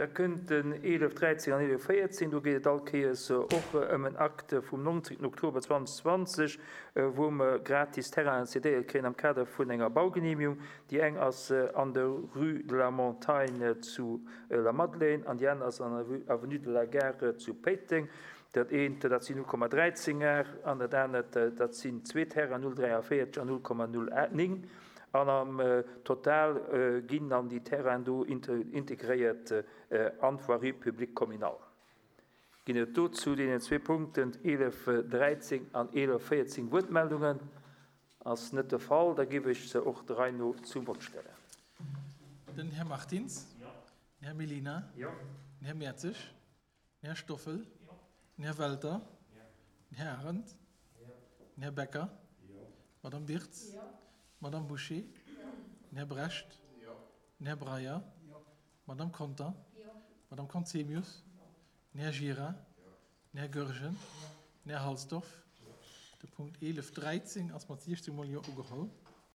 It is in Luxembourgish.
Da kënnt den 11, 13 an 11, 14. Do geet et all Kéiers och ëm en Akt vum 19. Oktober 2020, wou mer gratis Terrainen cedéiert kréien am Kader vun enger Baugenehmigung. Déi eng ass an der Rue de la Montagne zu Lamadelaine an déi aner ass an der Avenue de la Gare zu Péiteng. Dat eent, dat sinn 0,13 Ar an dat anert, dat sinn zwee Terrainen, 0,43 an 0,09. An am Total ginn dann déi Terrainen do integréiert an d'Voirie publique communale. Ginn et do zu deenen zwee Punkten 11, 13 an 11, 14 Wuertmeldungen? Ass net de Fall. Da géif ech se och der Rei no zum Vott stellen. Den Här Martins. Den Här Mellina. Den Här Mertzig. Den Här Stoffel. Den Här Welter. Den Här Arendt. Den Här Becker. D'Madame Birtz. D'Madame Bouché. Den Här Brecht. Den Här Breyer. D'Madame Conter. D'Madame Conzemius. Den Här Gira. Den Här Goergen. Den Här Halsdorf. De Punkt 11, 13 ass mat 16 mol Jo ugeholl.